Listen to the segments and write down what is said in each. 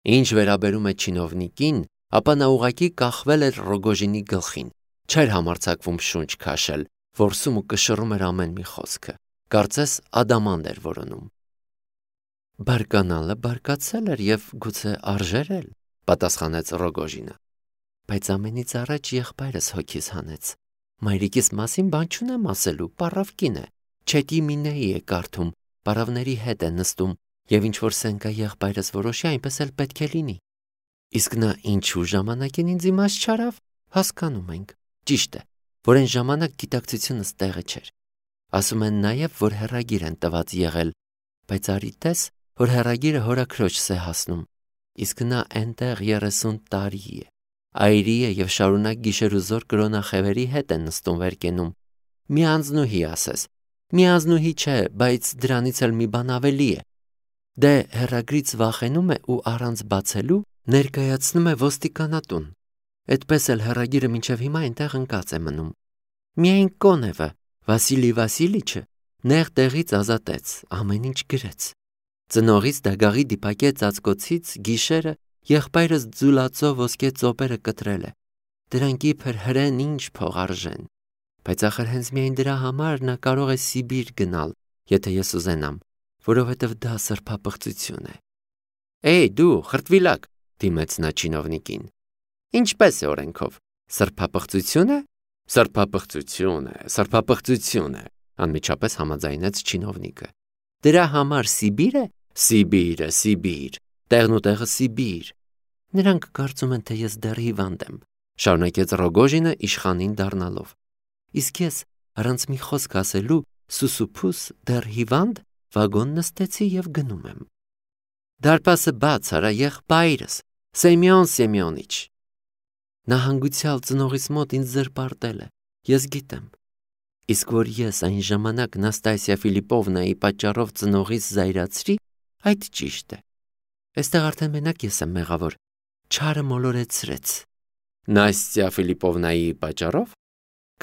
Ինչ վերաբերում է չինովնիկին, ապա նա ուղղակի կախվել էր Ռոգոժինի գլխին, չէր համարձակվում շունչ քաշել, որսում ու կշռում էր ամեն մի խոսքը, կարծես ադամանդ էր որոնում։ Բարկանալը բարկացել էր և գուցե արժեր էլ, պատասխանեց Ռոգոժինը, բայց ամենից առաջ եղբայրս հոգիս հանեց, մայրիկիս մասին բան չունեմ ասելու, պառավ կին է, չետի մինեի է կարդում, պառավների հետ է նստում, և ինչ-որ սենկա եղբայրս որոշի, այնպես էլ պետք է լինի։ Իսկ նա ինչու ժամանակին ինձ իմաց չարավ, հասկանում ենք, ճիշտ է, որ այն ժամանակ գիտակցությունս տեղը չէր։ Ասում են նաև, որ հեռագիր են տված եղել, բայց արի տես, որ հեռագիրը հորաքրոջս է հասնում, իսկ նա այնտեղ 30 տարի է, այրի է և շարունակ գիշերուզոր կրոնախևերի հետ է նստում վերկենում։ Մի անձնուհի ասես, մի անձնուհի չէ, բայց դրանից էլ մի բան ավելի է։ Դե հեռագրից վախենում է ու առանց բացելու ներկայացնում է ոստիկանատուն։ Այդպես էլ հեռագիրը մինչև հիմա այնտեղ ընկած է մնում։ Միայն Կոնևը, Վասիլի Վասիլիչը, նեղ տեղից ազատեց, ամեն ինչ գրեց։ Ծնողից դագաղի դիպակե ծածկոցից գիշերը եղբայրս ձուլածով ոսկե ծոպերը կտրել է։ Դրանք իբր հրեն ինչ փող արժեն։ Բայց ախր հենց միայն դրա համար նա կարող է Սիբիր գնալ, եթե ես ուզենամ, որովհետև դա սրբապղծություն է։ Էй, դու, խրտվիլակ, դիմեց նա չինովնիկին։ Ինչպես է օրենքով։ Սրբապղծություն է։ Սրբապղծություն է, անմիջապես համաձայնեց չինովնիկը։ Դրա համար Սիբիր է։ Սիբիր, տեղն ու տեղը Սիբիր։ Նրանք կարծում են, թե ես դեռ հիվանդ եմ, շարունակեց Ռոգոժինը իշխանին դառնալով։ Իսկ ես առանց մի խոսք ասելու սուսուփուս դեռ հիվանդ վագոն նստեցի և գնում եմ։ Դարպասը բաց արա, եղբայրս, Սեմյոն Սեմյոնիչ։ Նա հանգուցյալ ծնողիս մոտ ինձ զրպարտել է, ես գիտեմ։ Իսկ որ ես այն ժամանակ Նաստասիա Ֆիլիպովնայի պատճառով ծնողիս զայրացրի, այդ ճիշտ է։ Այստեղ արդեն մենակ ես եմ մեղավոր, չարը մոլորեցրեց։ Նաստասիա Ֆիլիպովնայի պատճառով։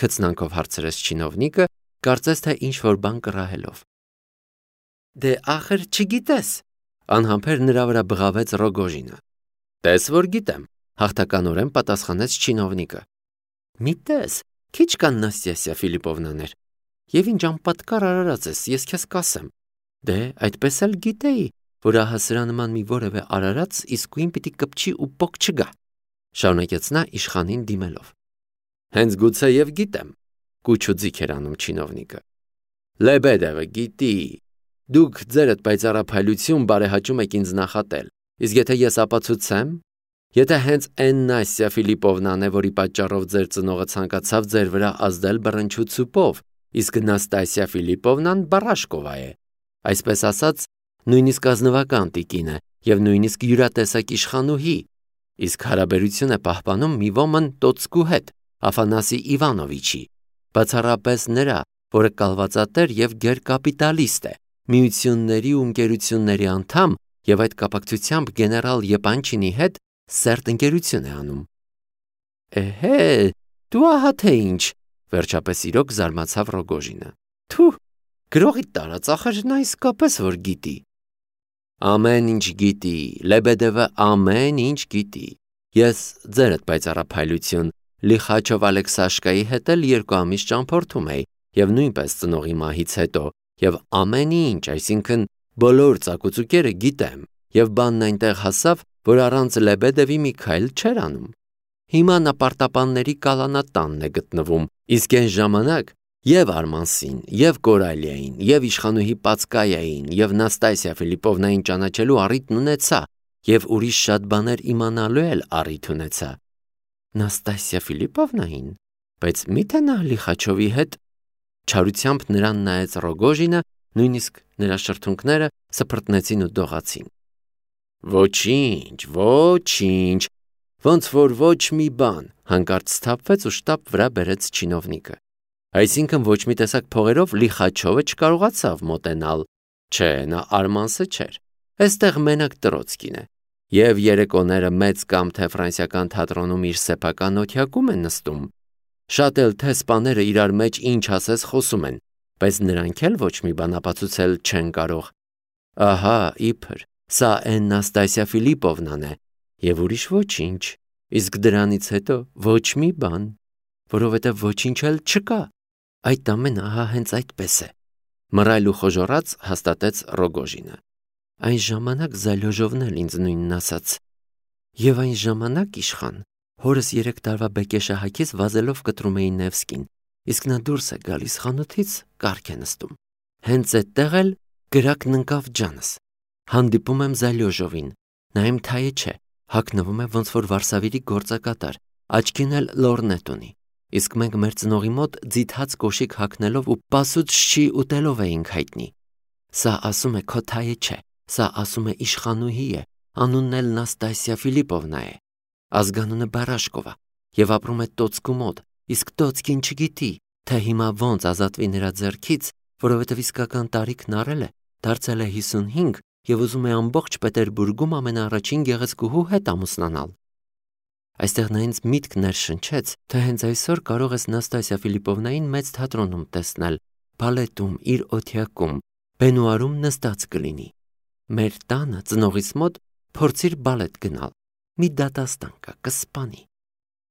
Քծնանքով հարցրեց չինովնիկը, կարծես թե ինչ-որ բան կռահելով։ Դե ախր չգիտես, անհամբեր նրա վրա բղավեց Ռոգոժինը։ Տես որ գիտեմ, հաղթականորեն պատասխանեց չինովնիկը։ Մի տես, քիչ կան Նաստասիա Ֆիլիպովնաներ, և ինչ անպատկառ արարած ես, ես քեզ կասեմ։ Դե այդպես էլ գիտեի, որ ահա սրա նման մի որևէ արարած իսկույն պիտի կպչի ու պոկ չգա, շարունակեց նա իշխանին դիմելով։ Հենց գուցե և գիտեմ, կուչուձիգ էր անում չինովնիկը։ Լեբեդևը գիտի, դուք ձերդ պայծառափայլություն բարեհաճում եք ինձ նախատել, իսկ եթե ես ապացուցեմ, եթե հենց այն Նաստասիա Ֆիլիպովնան է, որի պատճառով ձեր ծնողը ցանկացավ ձեր վրա ազդել բռնչու ցուպով, իսկ Նաստասիա Ֆիլիպովնան Բարաշկովա է, այսպես ասած, նույնիսկ ազնվական տիկին է և նույնիսկ յուրատեսակ իշխանուհի, իսկ հարաբերություն է պահպանում մի ոմն տոցկու հետ, Աֆանասի Իվանովիչի, բացառապես նրա, որը կալվածատեր և գերկապիտալիստ է, միությունների ու ընկերությունների անդամ և այդ կապակցությամբ գեներալ Եպանչինի հետ սերտ ընկերություն է անում։ Էհե, դու ահա թե ինչ, վերջապես իրոք զարմացավ Ռոգոժինը։ Թու, գրողի տարած, ախր նա իսկապես որ գիտի։ Ամեն ինչ գիտի, Լեբեդևը ամեն ինչ գիտի։ Ես ձերդ պայծառափայլություն Լիխաչով Ալեքսաշկայի հետ էլ 2 ամիս ճամփորդում էի և նույնպես ծնողի մահից հետո և ամեն ինչ, այսինքն բոլոր ծակուցուկերը գիտեմ և բանն այնտեղ հասավ, որ առանց Լեբեդևի մի քայլ չէր անում։ Հիմա նա պարտապանների կալանատանն է գտնվում, իսկ այն ժամանակ և Արմանսին, և Կորալիային, և իշխանուհի Պացկայային, և Նաստասիա Ֆիլիպովնային ճանաչելու առիթն ունեցա, և ուրիշ շատ բաներ իմանալու էլ առիթ ունեցա։ Նաստասիա Ֆիլիպովնային, բայց միթե նա Լիխաչովի հետ։ Չարությամբ նրան նայեց Ռոգոժինը, նույնիսկ նրա շրթունքները սփռտնեցին ու դողացին։ Ոչինչ, ոնց որ ոչ մի բան, հանկարծ սթափվեց ու շտապ վրա բերեց չինովնիկը։ Այսինքն ոչ մի տեսակ փողերով Լիխաչովը չկարողացավ մոտենալ։ Չէ, նա Արմանսը չէր։ Այստեղ մենակ Տրոցկին է։ Եվ երեկոները մեծ կամ թե ֆրանսիական թատրոնում իր սեփական օթյակում են նստում։ Շատ էլ թե սպաները իրար մեջ ինչ ասես խոսում են, բայց նրանք էլ ոչ մի բան ապացուցել չեն կարող։ Ահա, իբր, Սա այն Նաստասիա Ֆիլիպովնան է, եւ ուրիշ ոչինչ, իսկ դրանից հետո ոչ մի բան, որովհետեւ ոչինչ էլ չկա։ Այդ ամենը ահա հենց այդպես է, մռայլ ու խոժոռած հաստատեց Ռոգոժինը։ Այն ժամանակ Զալյոժովն էլ ինձ նույնն ասաց։ Եվ այն ժամանակ իշխան, հորս 3 տարվա բեկեշահակից վազելով կտրում էի Նևսկին, իսկ նա դուրս է գալիս խանութից, կառք է նստում։ Հենց այդտեղ էլ գրակն ընկավ ջանս։ Հանդիպում եմ Զալյոժովին, նա իմ թայը չէ, հագնվում է ոնց որ Վարշավերի գործակատար, աչքին էլ լորնետ ունի, իսկ մենք մեր ծնողի մոտ ձիթած կոշիկ հագնելով ու պասուց շի ուտելով էինք հայտնի։ Սա ասում է քո թայը չէ, սա ասում է իշխանուհի է, անունն էլ Նաստասիա Ֆիլիպովնա է, ազգանունը Բարաշկովա եւ ապրում է Տոցկու մոտ, իսկ Տոցկին չգիտի, թե հիմա ոնց ազատվի նրա ձեռքից, որովհետեւ իսկական տարիքն առել է, դարձել է 55 եւ ուզում է ամբողջ Պետերբուրգում ամենաառաջին գեղեցկուհու հետ ամուսնանալ։ Այստեղ նա ինձ միտք ներշնչեց, թե հենց այսօր կարող ես Նաստասիա Ֆիլիպովնային մեծ թատրոնում տեսնել, բալետում, իր օթյակում, բենուարում նստած կլինի։ Մեր տանը ծնողից մոտ փորձիր բալետ գնալ, մի դատաստան կա, կսպանի։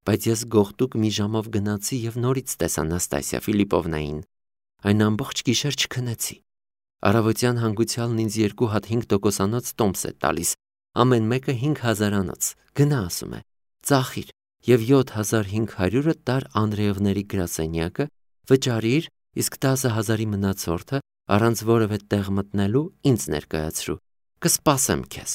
Բայց ես գողտուկ մի ժամով գնացի եւ նորից տեսա Նաստասիա Ֆիլիպովնային։ Այն ամբողջ գիշեր չքնեցի։ Առավոտյան հանգուցյալն ինձ 2 հատ 5%-անոց տոմս է տալիս, ամեն մեկը 5000-անոց, գնա ասում է, ծախիր եւ 7500-ը տար Անդրեևների գրասենյակը, վճարիր, իսկ 10000-ի մնացորդը առանց որևէ տեղ մտնելու ինձ ներկայացրու, կսպասեմ քեզ։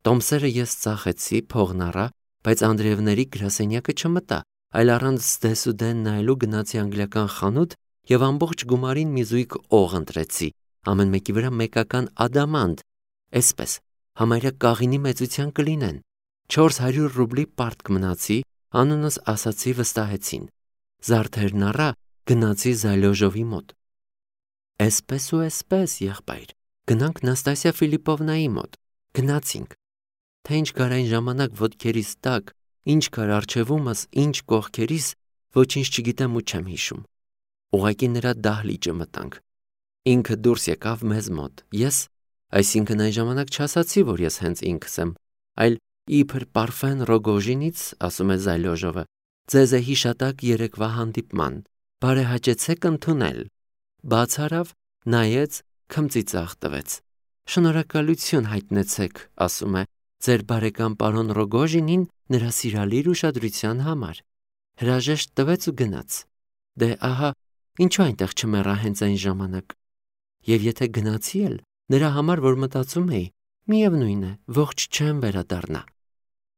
Տոմսերը ես ծախեցի, փողն առա, բայց Անդրեևների գրասենյակը չմտա, այլ առանց դեսուդեն նայելու գնացի անգլիական խանութ եւ ամբողջ գումարին մի զույգ օղ ընտրեցի, ամեն մեկի վրա մեկական ադամանդ, այսպես, համարյա կաղինի մեծության կլինեն։ 400 ռուբլի պարտք մնացի, անունս ասացի, վստահեցին։ Զարդերն առա, գնացի Զալյոժովի մոտ։ Այսպես ու այսպես, եղբայր, գնանք Նաստասիա Ֆիլիպովնայի մոտ, գնացինք։ Թե ինչ կար այն ժամանակ ոտքերիս տակ, ինչ կար առջևումս, ինչ կողքերիս, ոչինչ չգիտեմ ու չեմ հիշում։ Ուղղակի նրա դահլիճը մտանք։ Ինքը դուրս եկավ մեզ մոտ, ես, այսինքն այն ժամանակ չասացի, որ ես հենց ինքս եմ, այլ իբր Պարֆեն Ռոգոժինից, ասում է Զալյոժովը, ձեզ է հիշատակ երեկվա հանդիպման, բարեհաճեցեք ընդունել։ Բաց արավ, նայեց, քմծիծաղ տվեց։ Շնորհակալություն հայտնեցեք, ասում է, ձեր բարեկամ պարոն Ռոգոժինին նրա սիրալիր ուշադրության համար։ Հրաժեշտ տվեց ու գնաց։ Դե ահա, ինչու այնտեղ չմեռա հենց այն ժամանակ։ Եվ եթե գնացի էլ, նրա համար որ մտածում էի, միևնույն է, ողջ չեմ վերադառնա։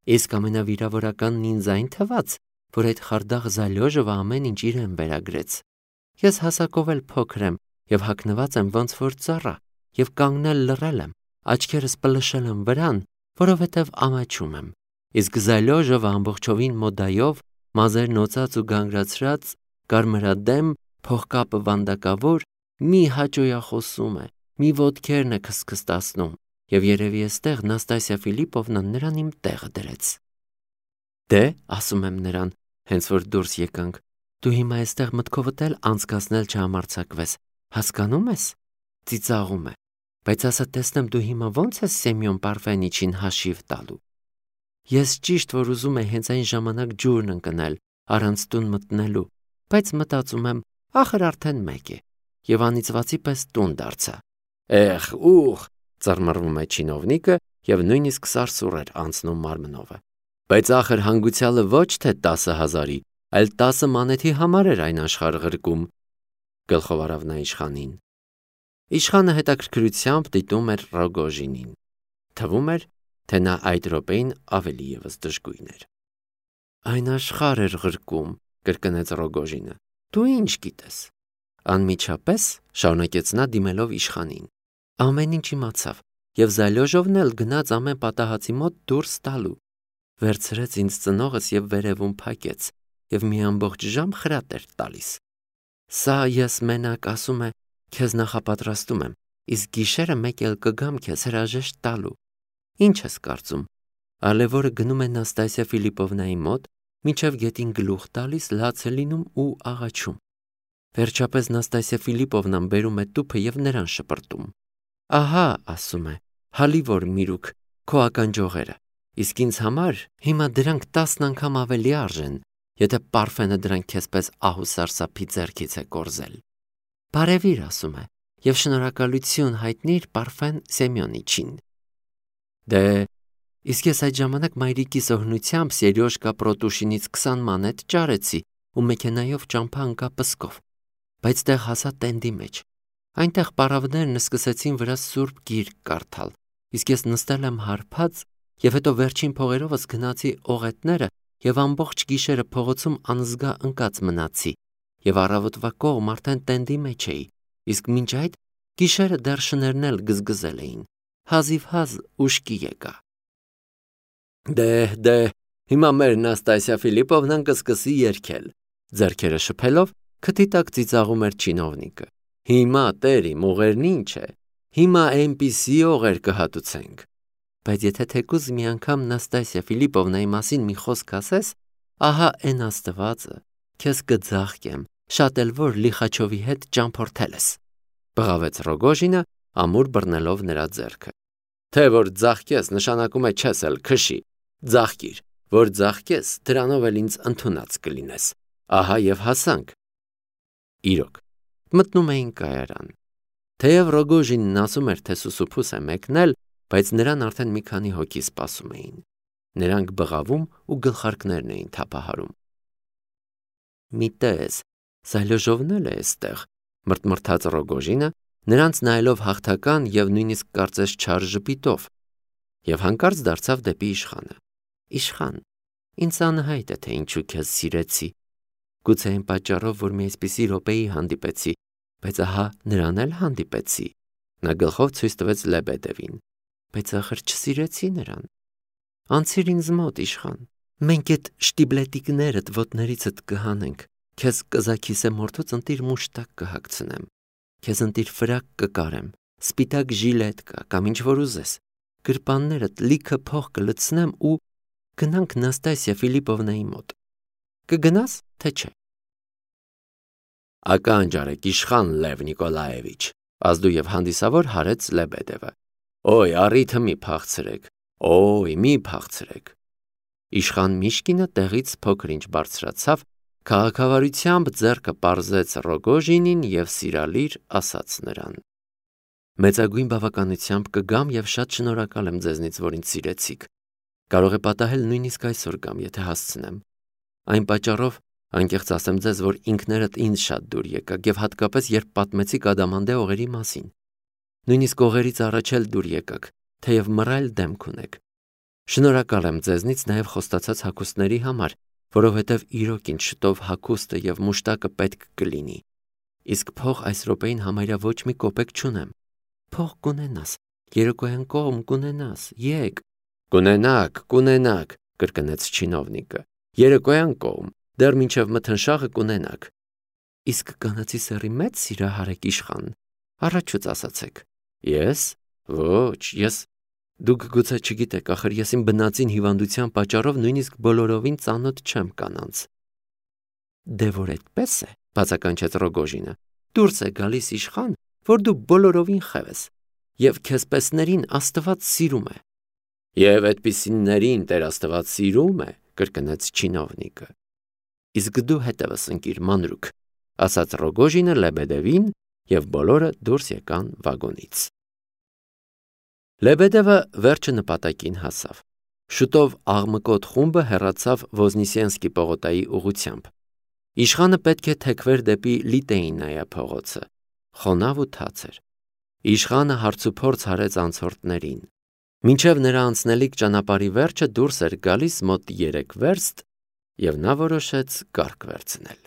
Իսկ ամենավիրավորականն ինձ այն թվաց, որ այդ խարդախ Զալյոժովը ամեն ինչ իրեն վերագրեց։ Ես հասակով էլ փոքր եմ եւ հագնված եմ ոնց որ ծառա եւ կանգնել լռել եմ, աչքերս պլշել եմ վրան, որովհետեւ ամաչում եմ։ Իսկ Զալյոժովը ամբողջովին մոդայով, մազերն օծած ու գանգրացրած, կարմրադեմ, փողկապը վանդակավոր, մի հաճոյախոսում է, մի ոտքերն է քսքստացնում, եւ երևի էստեղ Նաստասիա Ֆիլիպովնան նրան իմ տեղը դրեց։ Դե, ասում եմ նրան, հենց որ դուրս եկանք, դու հիմա էստեղ մտքովդ էլ անցկացնել չհամարձակվես, հասկանում ես։ Ծիծաղում է, բայց ասա տեսնեմ դու հիմա ո՞նց ես Սեմյոն Պարֆենիչին հաշիվ տալու։ Ես ճիշտ որ ուզում եմ հենց այն ժամանակ ջուրն ընկնել, առանց տուն մտնելու, բայց մտածում եմ, ախր արդեն մեկ է, եւ անիծվածի պես տուն դարձա։ Էխ, ուխ, ծռմռվում է չինովնիկը եւ նույնիսկ սարսուռ էր անցնում մարմնովը։ Բայց ախր հանգուցյալը ոչ թե 10,000-ի, այլ 10 մանեթի համար էր այն աշխարհ ղրկում։ Գլխով առավ նա իշխանին։ Իշխանը հետաքրքրությամբ դիտում էր Ռոգոժինին։ Թվում էր, թե նա այդ րոպեին ավելի եւս դժգույն էր։ Այն աշխարհ էր ղրկում, կրկնեց Ռոգոժինը։ Դու ինչ գիտես։ Անմիջապես շարունակեց նա դիմելով իշխանին։ Ամեն ինչ իմացավ, եւ Զալյոժովն էլ գնաց ամեն պատահածի մոտ դուրս տալու։ Վերցրեց ինձ ծնողս եւ վերևում փակեց, եւ մի ամբողջ ժամ խրատ էր տալիս։ Սա ես մենակ ասում է, քեզ նախապատրաստում եմ, իսկ գիշերը մեկ էլ կգամ քեզ հրաժեշտ տալու։ Ինչ ես կարծում։ Ալևորը գնում է Նաստասիա Ֆիլիպովնայի մոտ, մինչև գետին գլուխ տալիս, լաց է լինում ու աղաչում։ Վերջապես Նաստասիա Ֆիլիպովնան բերում է տուփը եւ նրան շպրտում։ Ահա, ասում է, հալիվոր միրուք քո ականջողերը, իսկ ինձ համար հիմա դրանք 10 անգամ ավելի արժեն, եթե պարֆենը դրանք քեզպես ահու սարսափի ձեռքից է կորզել։ Բարևիր, ասում է, եւ շնորհակալություն հայտնիր Պարֆեն Սեմյոնիչին։ Դե, իսկ ես այդ ժամանակ մայրիկիս օգնությամբ Սերյոժկա Պրոտուշինից 20 մանետ ճարեցի ու մեքենայով ճամփա ընկա Պսկով, բայց տեղ հասա տենդի մեջ։ Այնտեղ պարավներն սկսեցին վրա սուրբ գիրք կարդալ, իսկ ես նստել եմ հարբած եւ հետո վերջին փողերովս գնացի օղետները եւ ամբողջ գիշերը փողոցում անզգա ընկած մնացի եւ առավոտվա կողմ արդեն տենդի մեջ էի, իսկ մինչ այդ գիշերը դեռ շներն էլ գզգզել էին, հազիվ ուշքի եկա։ Դե, հիմա մեր Նաստասիա Ֆիլիպովնան կսկսի երգել, ձեռքերը շփելով քթի տակ ծիծաղում էր չինովնիկը։ Հիմա տերի մողերն ինչ է, հիմա այնպիսի օղեր կհատուցենք։ Բայց եթե թեկուզ մի անգամ Նաստասիա Ֆիլիպովնայի մասին մի խոսք ասես, ահա այն աստվածը, քեզ կձաղկեմ, շատ էլ որ Լիխաչովի հետ ճամփորդել ես, բղավեց Ռոգոժինը, ամուր բռնելով նրա ձեռքը։ Թե որ ձաղկես նշանակում է չես էլ քշի, ձաղկիր, որ ձաղկես, դրանով էլ ինձ ընդունած կլինես։ Ահա եւ հասանք։ Իրոք, մտնում էին կայարան։ Թեև Ռոգոժինն ասում էր, թե սուսուփուս է մեկնել, բայց նրան արդեն մի քանի հոգի սպասում էին։ Նրանք բղավում ու գլխարկներն էին թափահարում։ Մի տես, Սայլոժովն էլ է այստեղ, մրթմրթաց Ռոգոժինը, նրանց նայելով հաղթական եւ նույնիսկ կարծես չար ժպիտով, եւ հանկարծ դարձավ դեպի իշխանը։ Իշխան, ինձ անհայտ է, թե ինչու քեզ սիրեցի։ Գուցե այն պատճառով, որ մի այսպիսի րոպեի հանդիպեցի, բայց ահա նրան էլ հանդիպեցի։ Նա գլխով ցույց տվեց Լեբեդևին, բայց ախր չսիրեցի նրան։ Անցիր ինձ մոտ, իշխան, մենք այդ շտիբլետիկներդ ոտներիցդ կհանենք, քեզ կզաքիսե մորթուց ընտիր մուշտակ կհագցնեմ, քեզ ընտիր ֆրակ կկարեմ, սպիտակ ժիլետ կա, կամ ինչ որ ուզես, գրպաններդ լիքը փող կլցնեմ ու գնանք Նաստասիա Ֆիլիպովնայի մոտ։ Կգնաս, թե չէ։ Ականջարեք, իշխան Լև Նիկոլաևիչ, ազդու եւ հանդիսավոր հարեց Լեբեդևը։ Օй, առիթը մի փախցրեք, մի փախցրեք։ Իշխան Միշկինը տեղից փոքր-ինչ բարձրացավ, քաղաքավարությամբ ձեռքը պարզեց Ռոգոժինին եւ սիրալիր ասաց նրան. Մեծագույն բավականությամբ կգամ եւ շատ շնորհակալ եմ ձեզնից, որ ինձ սիրեցիք։ Կարող է պատահել նույնիսկ այսօր կամ եթե հասցնեմ։ Այն պատճառով անկեղծ ասեմ ձեզ, որ ինքներդ ինձ շատ դուր եկաք եւ հատկապես երբ պատմեցիք Ադամանդե օղերի մասին։ Նույնիսկ օղերից առաջ էլ դուր եկաք, թեև մռայլ դեմք ունեք։ Շնորհակալ եմ ձեզնից նաեւ խոստացած հագուստների համար, որովհետեւ իրոք ինձ շտով հագուստը եւ մուշտակը պետք կլինի։ Իսկ փող այս րոպեին համարյա ոչ մի կոպեկ չունեմ։ Փող կունենաս, երեկոյան կողմ կունենաս, եկ։ Կունենաք, կրկնեց չինովնիկը։ Երեկոյան կողմ, դեռ մինչև մթնշաղը կունենաք։ Իսկ կանացի սերի մեծ սիրահար եք, իշխան, առաջուց ասացեք։ Ես։ Ոչ, ես։ Դուք գուցե չգիտեք, ախր ես իմ բնածին հիվանդության պատճառով նույնիսկ բոլորովին ծանոթ չեմ կանանց։ Դե որ այդպես է, բացականչեց Ռոգոժինը, դուրս է գալիս իշխան, որ դու բոլորովին խև ես, եւ քեզպեսներին Աստված սիրում է։ Եվ այդպիսիներին Տեր Աստված սիրում է, կրկնեց չինովնիկը։ Իսկ դու հետևս ընկիր մանրուք, ասաց Ռոգոժինը Լեբեդևին, եւ բոլորը դուրս եկան վագոնից։ Լեբեդևը վերջը նպատակին հասավ։ Շուտով աղմկոտ խումբը հեռացավ Ոզնիսենսկի պողոտայի ուղությամբ։ Իշխանը պետք է թեքվեր դեպի Լիտեինայա փողոցը։ Խոնավ ու թաց էր։ Իշխանը հարցուփորձ հարեց անցորդներին։ Մինչև նրա անցնելիք ճանապարհի վերջը դուրս էր գալիս մոտ 3 վերստ, եւ նա որոշեց կառք վերցնել։